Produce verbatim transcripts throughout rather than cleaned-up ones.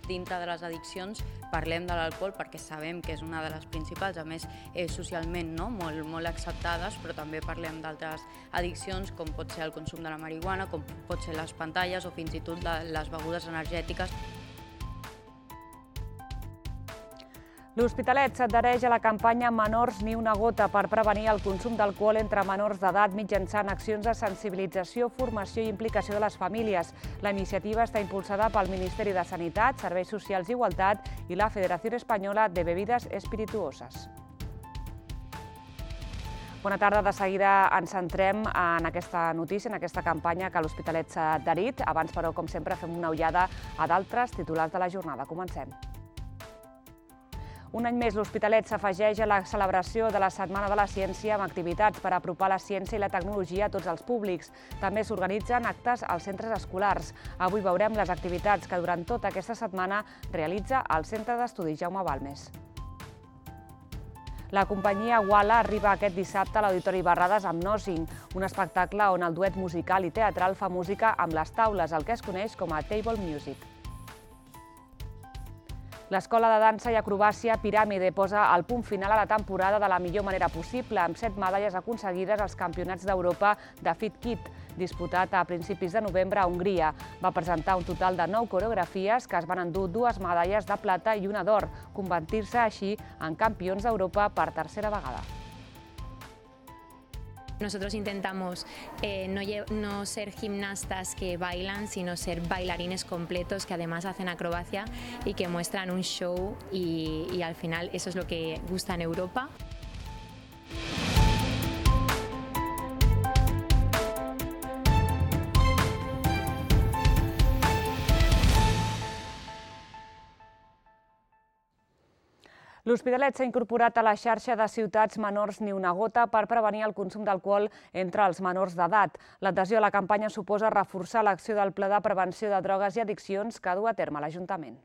dintre de les addiccions parlem de l'alcohol perquè sabem que és una de les principals, a més eh, socialment no? molt, molt acceptades, però també parlem d'altres addiccions com pot ser el consum de la marihuana, com pot ser les pantalles o fins i tot les begudes energètiques. L'Hospitalet s'adhereix a la campanya Menors ni una gota per prevenir el consum d'alcohol entre menors d'edat mitjançant accions de sensibilització, formació i implicació de les famílies. La iniciativa està impulsada pel Ministeri de Sanitat, Serveis Socials i Igualtat i la Federació Espanyola de Bebides Espirituoses. Bona tarda. De seguida ens centrem en aquesta notícia, en aquesta campanya que l'Hospitalet s'ha adherit. Abans, però, com sempre, fem una ullada a d'altres titulars de la jornada. Comencem. Un any més, l'Hospitalet s'afegeix a la celebració de la Setmana de la Ciència amb activitats per apropar la ciència i la tecnologia a tots els públics. També s'organitzen actes als centres escolars. Avui veurem les activitats que durant tota aquesta setmana realitza el Centre d'Estudis Jaume Balmes. La companyia Wala arriba aquest dissabte a l'Auditori Barrades amb Nothing, un espectacle on el duet musical i teatral fa música amb les taules, el que es coneix com a Table Music. L'Escola de Dansa i Acrobàcia Piràmide posa el punt final a la temporada de la millor manera possible, amb set medalles aconseguides als Campionats d'Europa de Fit Kit, disputat a principis de novembre a Hongria. Va presentar un total de nou coreografies que es van endur dues medalles de plata i una d'or, convertir-se així en campions d'Europa per tercera vegada. Nosotros intentamos eh, no, no ser gimnastas que bailan, sino ser bailarines completos que además hacen acrobacia y que muestran un show y, y al final eso es lo que gusta en Europa. L'Hospitalet s'ha incorporat a la xarxa de ciutats Menors ni una gota per prevenir el consum d'alcohol entre els menors d'edat. L'adhesió a la campanya suposa reforçar l'acció del Pla de Prevenció de Drogues i Addiccions que du a terme l'Ajuntament.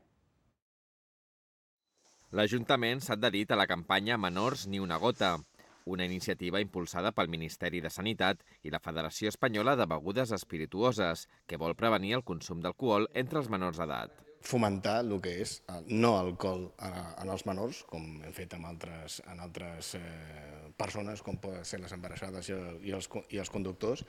L'Ajuntament s'ha adherit a la campanya Menors ni una gota, una iniciativa impulsada pel Ministeri de Sanitat i la Federació Espanyola de Begudes Espirituoses, que vol prevenir el consum d'alcohol entre els menors d'edat. Fomentar el que és el no alcohol en els menors, com hem fet amb altres, en altres eh, persones, com poden ser les embarassades i els, i els conductors,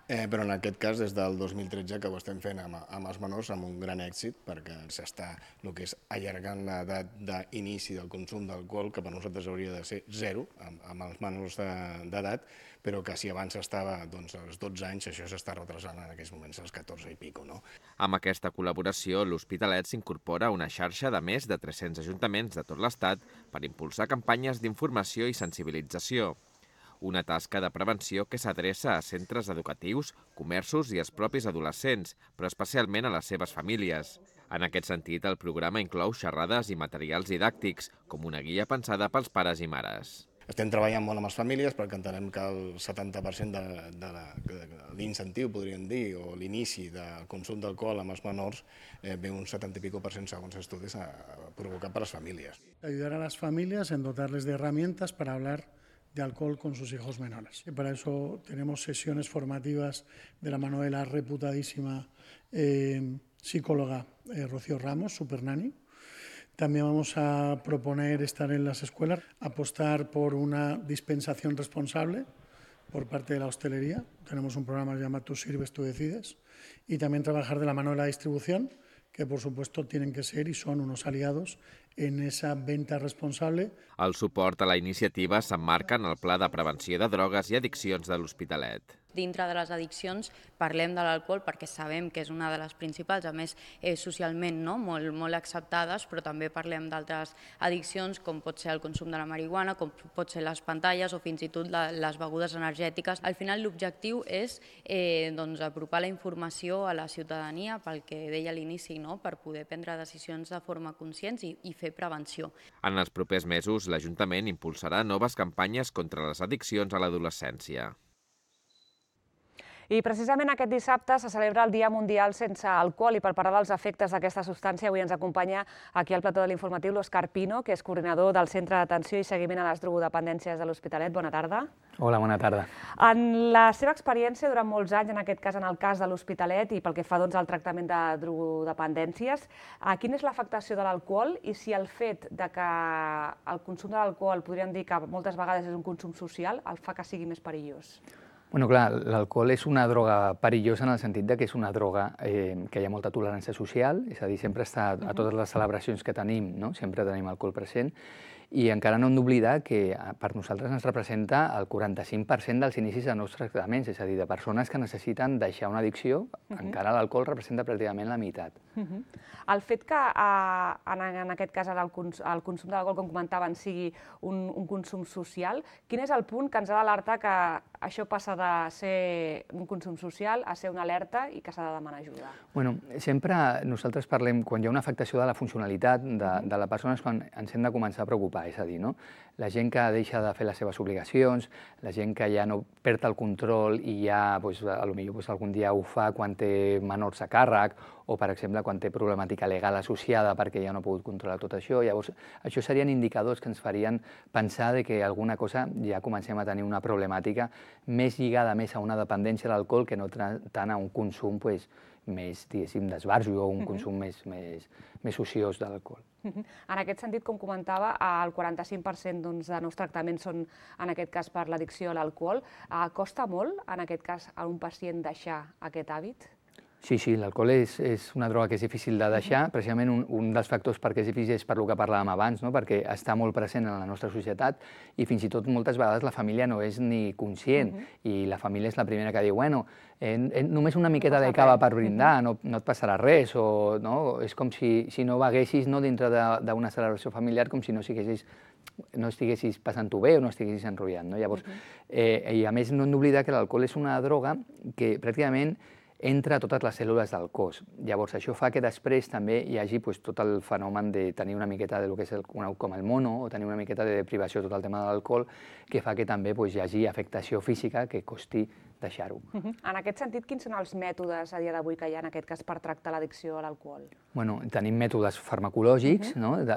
eh, però en aquest cas des del dos mil tretze que ho estem fent amb, amb els menors amb un gran èxit, perquè s'està el que és allargant l'edat d'inici del consum d'alcohol, que per nosaltres hauria de ser zero amb, amb els menors d'edat, però que si abans estava doncs, als dotze anys, això s'està retrasant en aquests moments als catorze i pico. No? Amb aquesta col·laboració, l'Hospitalet s'incorpora a una xarxa de més de tres-cents ajuntaments de tot l'Estat per impulsar campanyes d'informació i sensibilització. Una tasca de prevenció que s'adreça a centres educatius, comerços i als propis adolescents, però especialment a les seves famílies. En aquest sentit, el programa inclou xerrades i materials didàctics, com una guia pensada pels pares i mares. Estem treballant molt amb les famílies perquè entenem que el setanta per cent de, de, de l'incentiu, podríem dir, o l'inici del consum d'alcohol amb els menors eh, ve un setanta i pico per cent, segons estudis, a, a provocat per les famílies. Ayudar a las familias en dotarles de herramientas para hablar de alcohol con sus hijos menores. Y para eso tenemos sesiones formativas de la mano de la reputadísima eh, psicóloga eh, Rocío Ramos, Supernani. También vamos a proponer estar en las escuelas, apostar por una dispensación responsable por parte de la hostelería. Tenemos un programa que se llama Tú sirves, tú decides. Y también trabajar de la mano de la distribución, que por supuesto tienen que ser y son unos aliados en esa venta responsable. El suport a la iniciativa s'emmarca en el Pla de Prevenció de Drogues i Addiccions de l'Hospitalet. Dintre de les addiccions parlem de l'alcohol perquè sabem que és una de les principals, a més eh, socialment no? molt, molt acceptades, però també parlem d'altres addiccions com pot ser el consum de la marihuana, com pot ser les pantalles o fins i tot la, les begudes energètiques. Al final l'objectiu és eh, doncs, apropar la informació a la ciutadania pel que deia a l'inici, no? Per poder prendre decisions de forma conscients i, i fer prevenció. En els propers mesos l'Ajuntament impulsarà noves campanyes contra les addiccions a l'adolescència. I precisament aquest dissabte se celebra el Dia Mundial sense alcohol i per parlar dels efectes d'aquesta substància avui ens acompanya aquí al plató de l'informatiu l'Òscar Pino, que és coordinador del Centre d'Atenció i Seguiment a les Drogodependències de l'Hospitalet. Bona tarda. Hola, bona tarda. En la seva experiència durant molts anys, en aquest cas en el cas de l'Hospitalet i pel que fa doncs, al tractament de drogodependències, quina és l'afectació de l'alcohol i si el fet de que el consum de l'alcohol, podríem dir que moltes vegades és un consum social, el fa que sigui més perillós? Bueno, clar, l'alcohol és una droga perillosa en el sentit de que és una droga eh, que hi ha molta tolerància social, és a dir, sempre està a totes les celebracions que tenim, no? Sempre tenim alcohol present, i encara no hem d'oblidar que per nosaltres ens representa el quaranta-cinc per cent dels inicis de nous tractaments, és a dir, de persones que necessiten deixar una addicció, encara l'alcohol representa pràcticament la meitat. El fet que en aquest cas el consum de l'alcohol, com comentaven, sigui un consum social, quin és el punt que ens ha d'alertar que això passa de ser un consum social a ser una alerta i que s'ha de demanar ajuda? Bueno, sempre nosaltres parlem, quan hi ha una afectació de la funcionalitat de la persona és quan ens hem de començar a preocupar, és a dir, no? La gent que deixa de fer les seves obligacions, la gent que ja no perd el control i ja, potser algun dia ho fa quan té menors a càrrec o, per exemple, quan té problemàtica legal associada perquè ja no ha pogut controlar tot això. Llavors, això serien indicadors que ens farien pensar que alguna cosa ja comencem a tenir una problemàtica més lligada més a una dependència de l'alcohol que no tant a un consum més, diguéssim, d'esbarjo o un consum més ociós de l'alcohol. En aquest sentit, com comentava, el quaranta-cinc per cent de nous tractaments són, en aquest cas, per l'addicció a l'alcohol. Costa molt, en aquest cas, a un pacient deixar aquest hàbit? Sí, sí, l'alcohol és una droga que és difícil de deixar. Precisament un dels factors perquè és difícil és per el que parlàvem abans, perquè està molt present en la nostra societat i fins i tot moltes vegades la família no és ni conscient i la família és la primera que diu bueno, només una miqueta de cava per brindar, no et passarà res, o és com si no beguessis dintre d'una celebració familiar, com si no estiguessis passant-ho bé o no estiguessis enrotllant. I a més no hem d'oblidar que l'alcohol és una droga que pràcticament entra a totes les cèl·lules del cos. Llavors, això fa que després també hi hagi tot el fenomen de tenir una miqueta del que és conegut com el mono o tenir una miqueta de deprivació, tot el tema de l'alcohol, que fa que també hi hagi afectació física que costi deixar-ho. En aquest sentit, quins són els mètodes a dia d'avui que hi ha en aquest cas per tractar l'addicció a l'alcohol? Bueno, tenim mètodes farmacològics,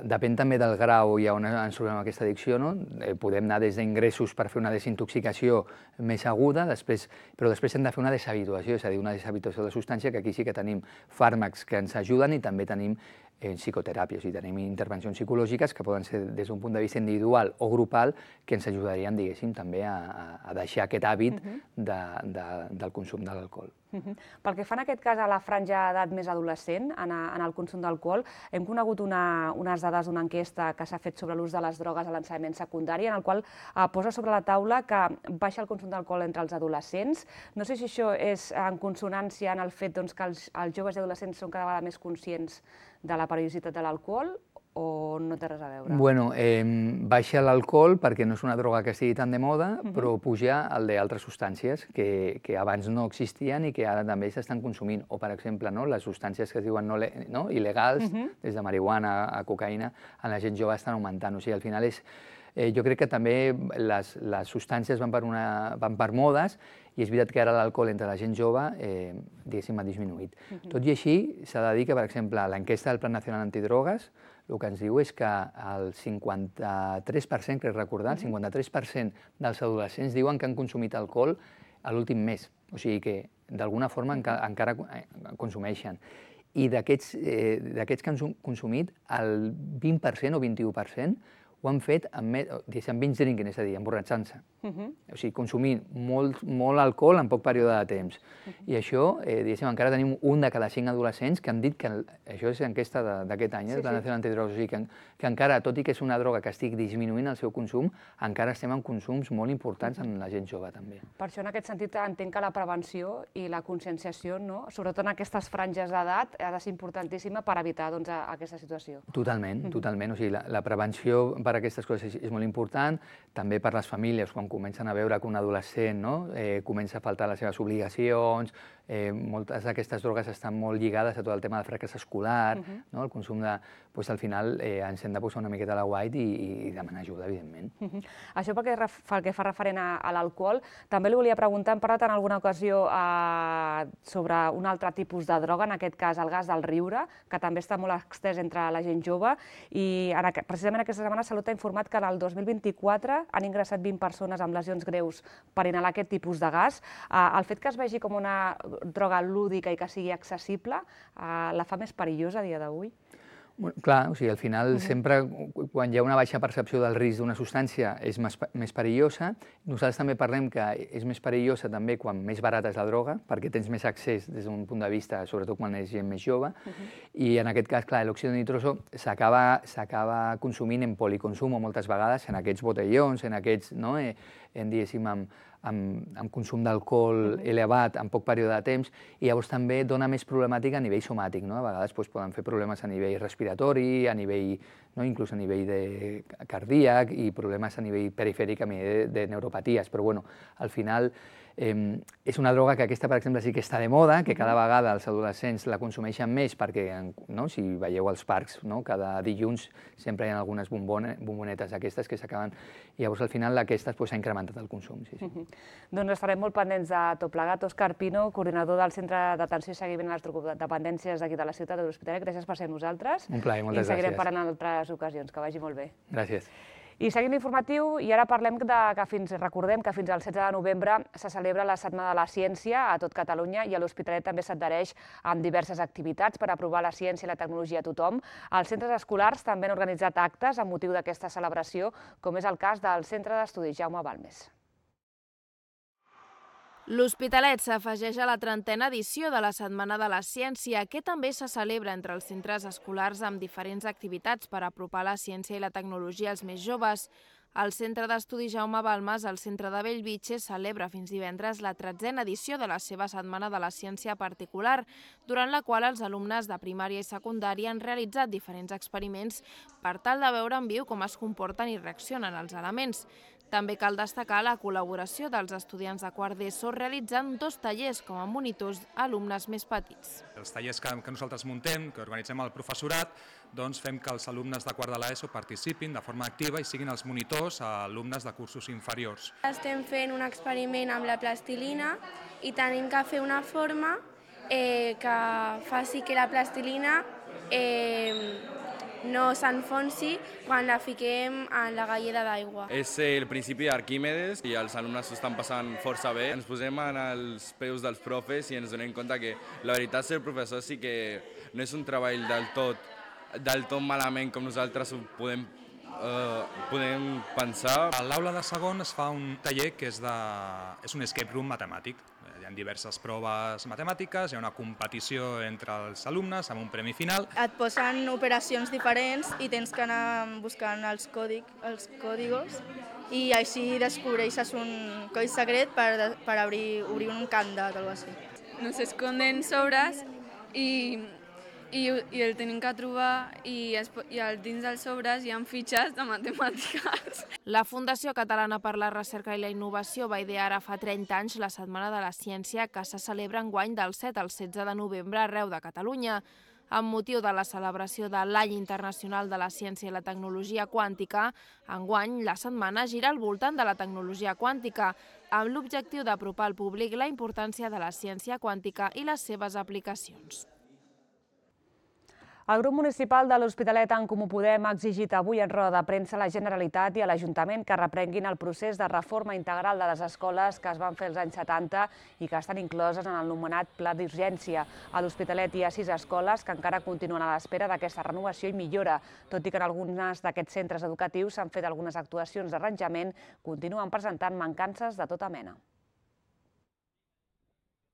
depèn també del grau i on ens trobem aquesta addicció. Podem anar des d'ingressos per fer una desintoxicació més aguda, però després hem de fer una deshabituació, és a dir, una deshabituació de la substància, que aquí sí que tenim fàrmacs que ens ajuden i també tenim psicoteràpia, o sigui, tenim intervencions psicològiques que poden ser des d'un punt de vista individual o grupal que ens ajudarien, diguéssim, també a deixar aquest hàbit del consum de l'alcohol. Pel que fa en aquest cas a la franja d'edat més adolescent, en el consum d'alcohol, hem conegut unes dades d'una enquesta que s'ha fet sobre l'ús de les drogues a l'ensenyament secundari, en el qual posa sobre la taula que baixa el consum d'alcohol entre els adolescents. No sé si això és en consonància en el fet que els joves i adolescents són cada vegada més conscients de la perillositat de l'alcohol o no té res a veure? Bueno, baixa l'alcohol perquè no és una droga que estigui tan de moda, però puja el d'altres substàncies que abans no existien i que ara també s'estan consumint. O, per exemple, les substàncies que es diuen il·legals, des de marihuana a cocaïna, en la gent jove estan augmentant. O sigui, al final és... Jo crec que també les substàncies van per modes i és veritat que ara l'alcohol entre la gent jove, diguéssim, ha disminuït. Tot i així, s'ha de dir que, per exemple, l'enquesta del Plan Nacional Antidrogues el que ens diu és que el cinquanta-tres per cent, crec recordar, el cinquanta-tres per cent dels adolescents diuen que han consumit alcohol a l'últim mes. O sigui que, d'alguna forma, encara consumeixen. I d'aquests que han consumit, el vint per cent o vint-i-u per cent ho han fet amb binge drinking, és a dir, emborratxant-se. O sigui, consumint molt alcohol en poc període de temps. I això, diguéssim, encara tenim un de cada cinc adolescents que han dit que, això és l'enquesta d'aquest any, del Plan Nacional Antidrogues, o sigui, que encara, tot i que és una droga que estigui disminuint el seu consum, encara estem en consums molt importants en la gent jove, també. Per això, en aquest sentit, entenc que la prevenció i la conscienciació, sobretot en aquestes franges d'edat, ha de ser importantíssima per evitar aquesta situació. Totalment, totalment. O sigui, la prevenció, per per aquestes coses és molt important, també per les famílies, quan comencen a veure que un adolescent comença a faltar les seves obligacions, moltes d'aquestes drogues estan molt lligades a tot el tema del fracàs escolar, el consum de... Al final ens hem de posar una miqueta a la guait i demanar ajuda, evidentment. Això pel que fa referent a l'alcohol, també li volia preguntar, hem parlat en alguna ocasió sobre un altre tipus de droga, en aquest cas el gas del riure, que també està molt extès entre la gent jove, i precisament aquesta setmana Salut ha informat que en el dos mil vint-i-quatre han ingressat vint persones amb lesions greus per inhalar aquest tipus de gas. El fet que es vegi com una droga lúdica i que sigui accessible la fa més perillosa a dia d'avui? Clar, o sigui, al final sempre quan hi ha una baixa percepció del risc d'una substància és més perillosa. Nosaltres també parlem que és més perillosa també quan més barata és la droga, perquè tens més accés des d'un punt de vista, sobretot quan és gent més jove, i en aquest cas, clar, l'òxid nitroso s'acaba consumint en policonsum moltes vegades, en aquests botellons, en aquests, no, en diguéssim, amb consum d'alcohol elevat en poc període de temps, i llavors també dona més problemàtica a nivell somàtic. A vegades poden fer problemes a nivell respiratori, a nivell, inclús a nivell cardíac, i problemes a nivell perifèric, a nivell de neuropaties. Però, bueno, al final és una droga que aquesta, per exemple, sí que està de moda, que cada vegada els adolescents la consumeixen més, perquè si veieu als parcs, cada dilluns sempre hi ha algunes bombonetes aquestes que s'acaben, i llavors al final aquestes s'ha incrementat el consum. Doncs estarem molt pendents de tot plegat. Òscar Pino, coordinador del Centre d'Atenció i Seguiment a les Drogodependències d'aquí de la ciutat de l'Hospitalet, gràcies per ser amb nosaltres. Un plaer, moltes gràcies. I seguirem parlant en altres ocasions. Que vagi molt bé. Gràcies. I seguim l'informatiu, i ara parlem que fins, recordem que fins al setze de novembre se celebra la Setmana de la Ciència a tot Catalunya, i a l'Hospitalet també s'adhereix amb diverses activitats per aprovar la ciència i la tecnologia a tothom. Els centres escolars també han organitzat actes amb motiu d'aquesta celebració, com és el cas del Centre d'Estudis Jaume Balmes. L'Hospitalet s'afegeix a la trentena edició de la Setmana de la Ciència, que també se celebra entre els centres escolars amb diferents activitats per apropar la ciència i la tecnologia als més joves. El Centre d'Estudis Jaume Balmes, al centre de Bellvitge, celebra fins divendres la tretzena edició de la seva Setmana de la Ciència particular, durant la qual els alumnes de primària i secundària han realitzat diferents experiments per tal de veure en viu com es comporten i reaccionen els elements. També cal destacar la col·laboració dels estudiants de quart d'ESO realitzant dos tallers com a monitors a alumnes més petits. Els tallers que nosaltres muntem, que organitzem al professorat, doncs fem que els alumnes de quart de l'ESO participin de forma activa i siguin els monitors a alumnes de cursos inferiors. Estem fent un experiment amb la plastilina i tenim que fer una forma que faci que la plastilina no s'enfonsi quan la fiquem en la galleda d'aigua. És el principi d'Arquímedes i els alumnes s'ho estan passant força bé. Ens posem en els peus dels profes i ens donem compte que la veritat ser professor sí que no és un treball del tot, del tot malament com nosaltres ho podem, uh, podem pensar. A l'aula de segon es fa un taller que és, de, és un escape room matemàtic. Hi ha diverses proves matemàtiques, hi ha una competició entre els alumnes amb un premi final. Et posen operacions diferents i tens que anar buscant els còdigos i així descobreixes un codi secret per, per obrir, obrir un candat o alguna cosa així. Nos esconden sobres i, i, i el tenim que trobar i, es, i dins dels sobres hi ha fitxes de matemàtiques. La Fundació Catalana per la Recerca i la Innovació va idear ara fa trenta anys la Setmana de la Ciència, que se celebra enguany del set al setze de novembre arreu de Catalunya. Amb motiu de la celebració de l'Any Internacional de la Ciència i la Tecnologia Quàntica, enguany la setmana gira al voltant de la tecnologia quàntica, amb l'objectiu d'apropar al públic la importància de la ciència quàntica i les seves aplicacions. El grup municipal de l'Hospitalet en Comú Podem ha exigit avui en roda de premsa a la Generalitat i a l'Ajuntament que reprenguin el procés de reforma integral de les escoles que es van fer als anys setanta i que estan incloses en el anomenat Pla d'Urgència. A l'Hospitalet hi ha sis escoles que encara continuen a l'espera d'aquesta renovació i millora, tot i que en alguns d'aquests centres educatius s'han fet algunes actuacions d'arranjament, continuen presentant mancances de tota mena.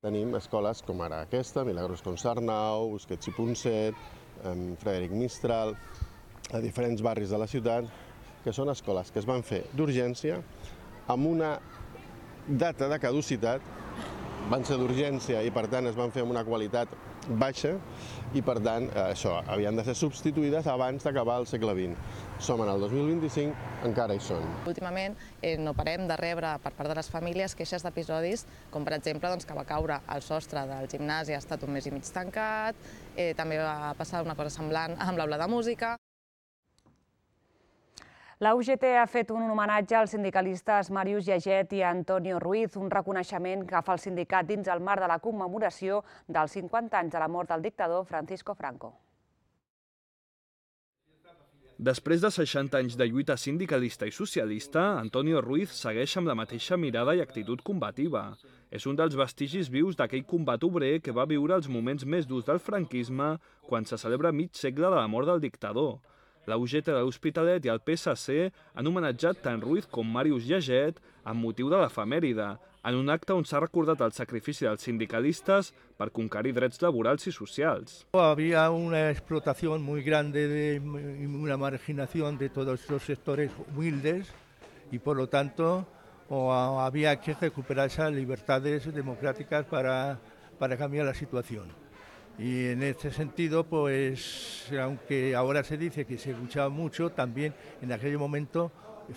Tenim escoles com ara aquesta, Milagros Consarnau, Busquets i Ponset, Frederic Mistral, a diferents barris de la ciutat, que són escoles que es van fer d'urgència amb una data de caducitat van ser d'urgència i per tant es van fer amb una qualitat baixa i per tant això, havien de ser substituïdes abans d'acabar el segle vint. Som en el dos mil vint-i-cinc, encara hi són. Últimament no parem de rebre per part de les famílies queixes d'episodis com per exemple que va caure el sostre del gimnàs i ha estat un mes i mig tancat, també va passar una cosa semblant amb l'aula de música. La U G T ha fet un homenatge als sindicalistes Màrius Llaget i Antonio Ruiz, un reconeixement que fa el sindicat dins el marc de la commemoració dels cinquanta anys de la mort del dictador Francisco Franco. Després de seixanta anys de lluita sindicalista i socialista, Antonio Ruiz segueix amb la mateixa mirada i actitud combativa. És un dels vestigis vius d'aquell combat obrer que va viure els moments més durs del franquisme quan se celebra mig segle de la mort del dictador. La U G T de l'Hospitalet i el P S C han homenatjat tant Ruiz com Màrius Llaget amb motiu de l'efemèride, en un acte on s'ha recordat el sacrifici dels sindicalistes per conquerir drets laborals y socials. Había una explotación muy grande de una marginación de todos estos sectores humildes y por lo tanto o había que recuperar esas libertades democráticas para, para cambiar la situación. Y en este sentido, pues, aunque ahora se dice que se luchaba mucho, también en aquel momento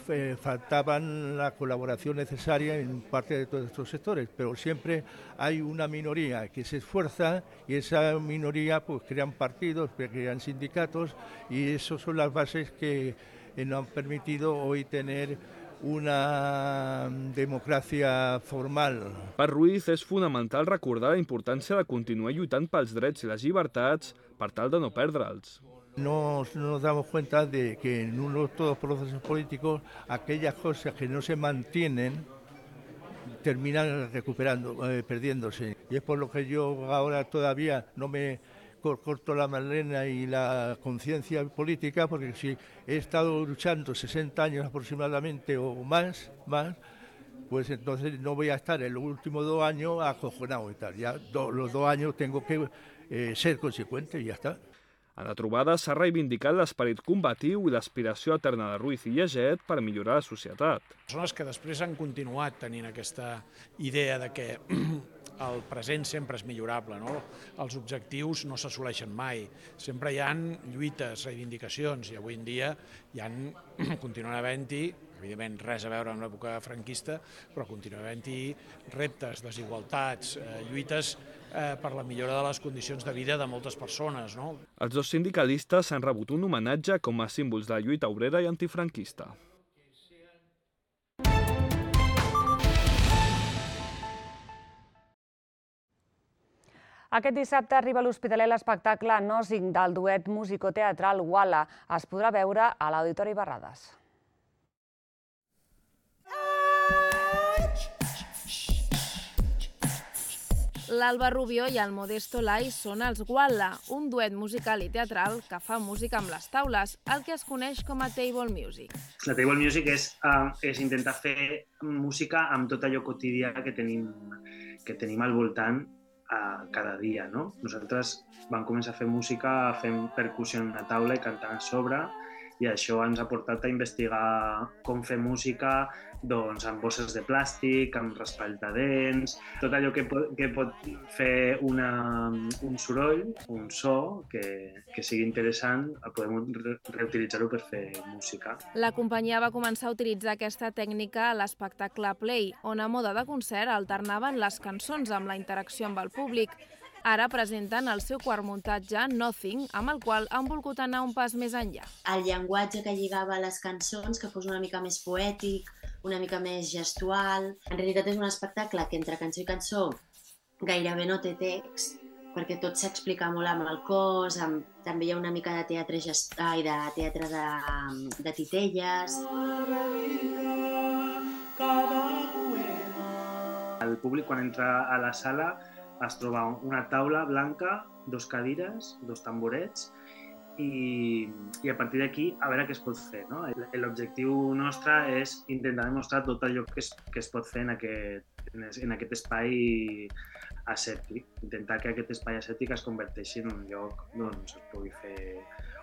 eh, faltaban la colaboración necesaria en parte de todos estos sectores, pero siempre hay una minoría que se esfuerza y esa minoría pues crean partidos, crean sindicatos y esas son las bases que eh, nos han permitido hoy tener una democràcia formal. Per Ruiz és fonamental recordar la importància de continuar lluitant pels drets i les llibertats per tal de no perdre'ls. No nos damos cuenta de que en uno, todos los procesos políticos aquellas cosas que no se mantienen terminan recuperando, eh, perdiéndose. Y es por lo que yo ahora todavía no me corto la melena y la conciencia política, porque si he estado luchando sesenta años aproximadamente o más, más, pues entonces no voy a estar en los últimos dos años acojonado y tal. Ya do, los dos años tengo que eh, ser consecuente y ya está. A la trobada s'ha reivindicat l'esperit combatiu i l'aspiració eterna de Ruiz i Llaget per millorar la societat. Persones que després han continuat tenint aquesta idea de que el present sempre és millorable, no? Els objectius no s'assoleixen mai, sempre hi ha lluites, reivindicacions, i avui en dia hi ha, continuen havent-hi, evidentment res a veure amb l'època franquista, però continuen havent-hi reptes, desigualtats, eh, lluites eh, per la millora de les condicions de vida de moltes persones, no? Els dos sindicalistes han rebut un homenatge com a símbols de la lluita obrera i antifranquista. Aquest dissabte arriba a l'Hospitalet l'espectacle Nothing del duet musicoteatral Wala. Es podrà veure a l'Auditori Barrades. L'Alba Rubio i el Modesto Lai són els Wala, un duet musical i teatral que fa música amb les taules, el que es coneix com a table music. La table music és, uh, és intentar fer música amb tot allò quotidià que tenim, que tenim al voltant a cada dia, no? Nosaltres vam començar a fer música fent percussió en una taula i cantant a sobre i això ens ha portat a investigar com fer música doncs, amb bosses de plàstic, amb raspall de dents, tot allò que pot, que pot fer una, un soroll, un so que, que sigui interessant, podem re reutilitzar-ho per fer música. La companyia va començar a utilitzar aquesta tècnica a l'espectacle Play, on a moda de concert alternaven les cançons amb la interacció amb el públic. Ara presenten el seu quart muntatge, Nothing, amb el qual han volgut anar un pas més enllà. El llenguatge que lligava les cançons, que fos una mica més poètic, una mica més gestual. En realitat és un espectacle que entre cançó i cançó gairebé no té text, perquè tot s'explica molt amb el cos, amb... també hi ha una mica de teatre, gest... Ai, de, teatre de, de titelles. El públic quan entra a la sala es troba una taula blanca, dos cadires, dos tamborets i, i a partir d'aquí a veure què es pot fer, no? L'objectiu nostre és intentar demostrar tot allò que es, que es pot fer en aquest, en aquest espai asèptic, intentar que aquest espai asèptic es converteixi en un lloc on es pugui fer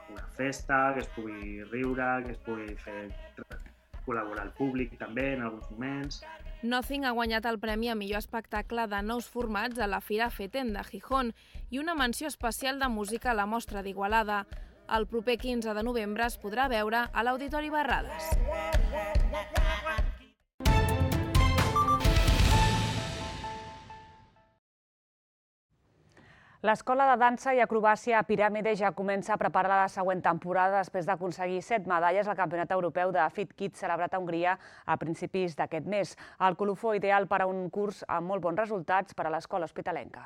una festa, que es pugui riure, que es pugui fer col·laborar el públic també en alguns moments. Nothing ha guanyat el premi a millor espectacle de nous formats a la Fira FETEN de Gijón i una menció especial de música a la Mostra d'Igualada. El proper quinze de novembre es podrà veure a l'Auditori Barrades. L'Escola de Dansa i Acrobàcia Piràmide ja comença a preparar la següent temporada després d'aconseguir set medalles al Campionat Europeu de Fit Kids celebrat a Hongria a principis d'aquest mes. El colofó ideal per a un curs amb molt bons resultats per a l'escola hospitalenca.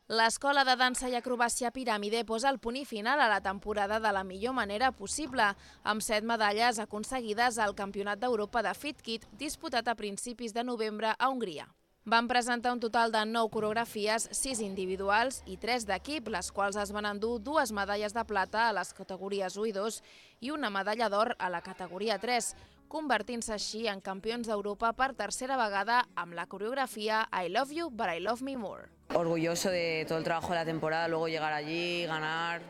L'Escola de Dansa i Acrobàcia Piràmide posa el punt i final a la temporada de la millor manera possible, amb set medalles aconseguides al Campionat d'Europa de Fit Kids disputat a principis de novembre a Hongria. Van presentar un total de nou coreografies, sis individuals i tres d'equip, les quals es van endur dues medalles de plata a les categories u i dos i una medalla d'or a la categoria tres, convertint-se així en campions d'Europa per tercera vegada amb la coreografia I Love You, But I Love Me More. Orgulloso de todo el trabajo de la temporada, luego llegar allí, ganar.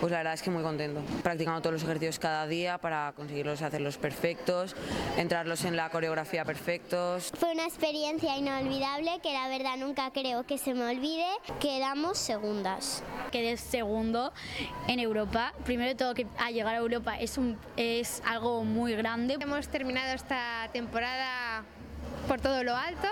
Pues la verdad es que muy contento, practicando todos los ejercicios cada día para conseguirlos, hacerlos perfectos, entrarlos en la coreografía perfectos. Fue una experiencia inolvidable que la verdad nunca creo que se me olvide. Quedamos segundas. Quedé segundo en Europa. Primero de todo, que a llegar a Europa es, un, es algo muy grande. Hemos terminado esta temporada por todo lo alto.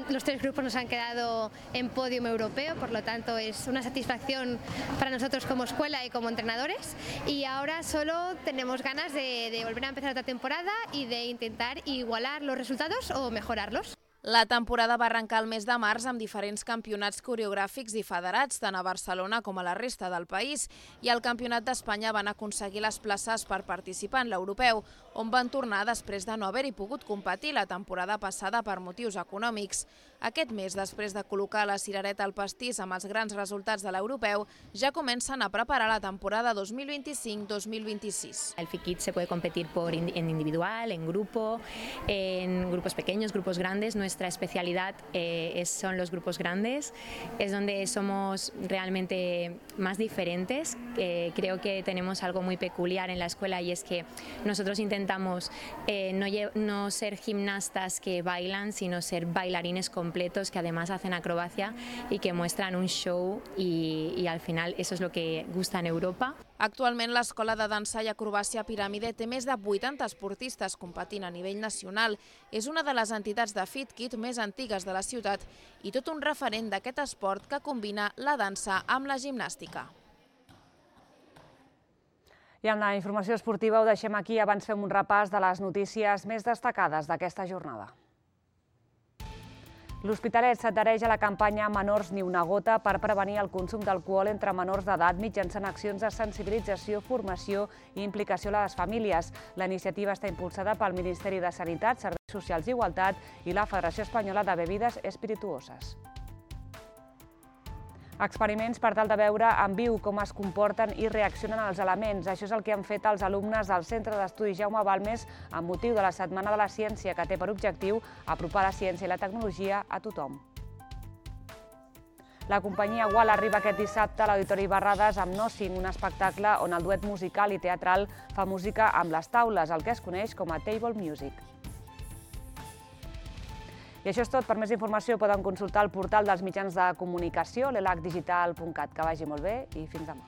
Los tres grupos nos han quedado en podio europeo, por lo tanto es una satisfacción para nosotros como escuela y como entrenadores, y ahora solo tenemos ganas de, de volver a empezar otra temporada y de intentar igualar los resultados o mejorarlos. La temporada va arrencar el mes de març amb diferents campionats coreogràfics i federats, tant a Barcelona com a la resta del país, i al Campionat d'Espanya van aconseguir les places per participar en l'europeu, on van tornar després de no haver-hi pogut competir la temporada passada per motius econòmics. Aquest mes, després de col·locar la cirereta al pastís amb els grans resultats de l'europeu, ja comencen a preparar la temporada dos mil vint-i-cinc dos mil vint-i-sis. El Fit Kids se puede competir por en individual, en grupo, en grupos pequeños, grupos grandes. Nuestra especialidad eh, es, son los grupos grandes, es donde somos realmente más diferentes. Eh, creo que tenemos algo muy peculiar en la escuela, y es que nosotros intentamos eh, no, no ser gimnastas que bailan, sino ser bailarines completos que además hacen acrobacia y que muestran un show, y, y al final eso es lo que gusta en Europa. Actualment l'Escola de Dansa i Acrobàcia Piràmide té més de vuitanta esportistes competint a nivell nacional. És una de les entitats de Fit Kids més antigues de la ciutat i tot un referent d'aquest esport que combina la dansa amb la gimnàstica. I amb la informació esportiva ho deixem aquí. Abans fem un repàs de les notícies més destacades d'aquesta jornada. L'Hospitalet s'adhereix a la campanya Menors ni una gota per prevenir el consum d'alcohol entre menors d'edat mitjançant accions de sensibilització, formació i implicació a les famílies. La iniciativa està impulsada pel Ministeri de Sanitat, Serveis Socials i Igualtat i la Federació Espanyola de Bebides Espirituoses. Experiments per tal de veure en viu com es comporten i reaccionen els elements. Això és el que han fet els alumnes del Centre d'Estudis Jaume Balmes amb motiu de la Setmana de la Ciència, que té per objectiu apropar la ciència i la tecnologia a tothom. La companyia Gual arriba aquest dissabte a l'Auditori Barrades amb Nothing, un espectacle on el duet musical i teatral fa música amb les taules, el que es coneix com a Table Music. I això és tot. Per més informació poden consultar el portal dels mitjans de comunicació, l'elac digital punt cat. Que vagi molt bé i fins demà.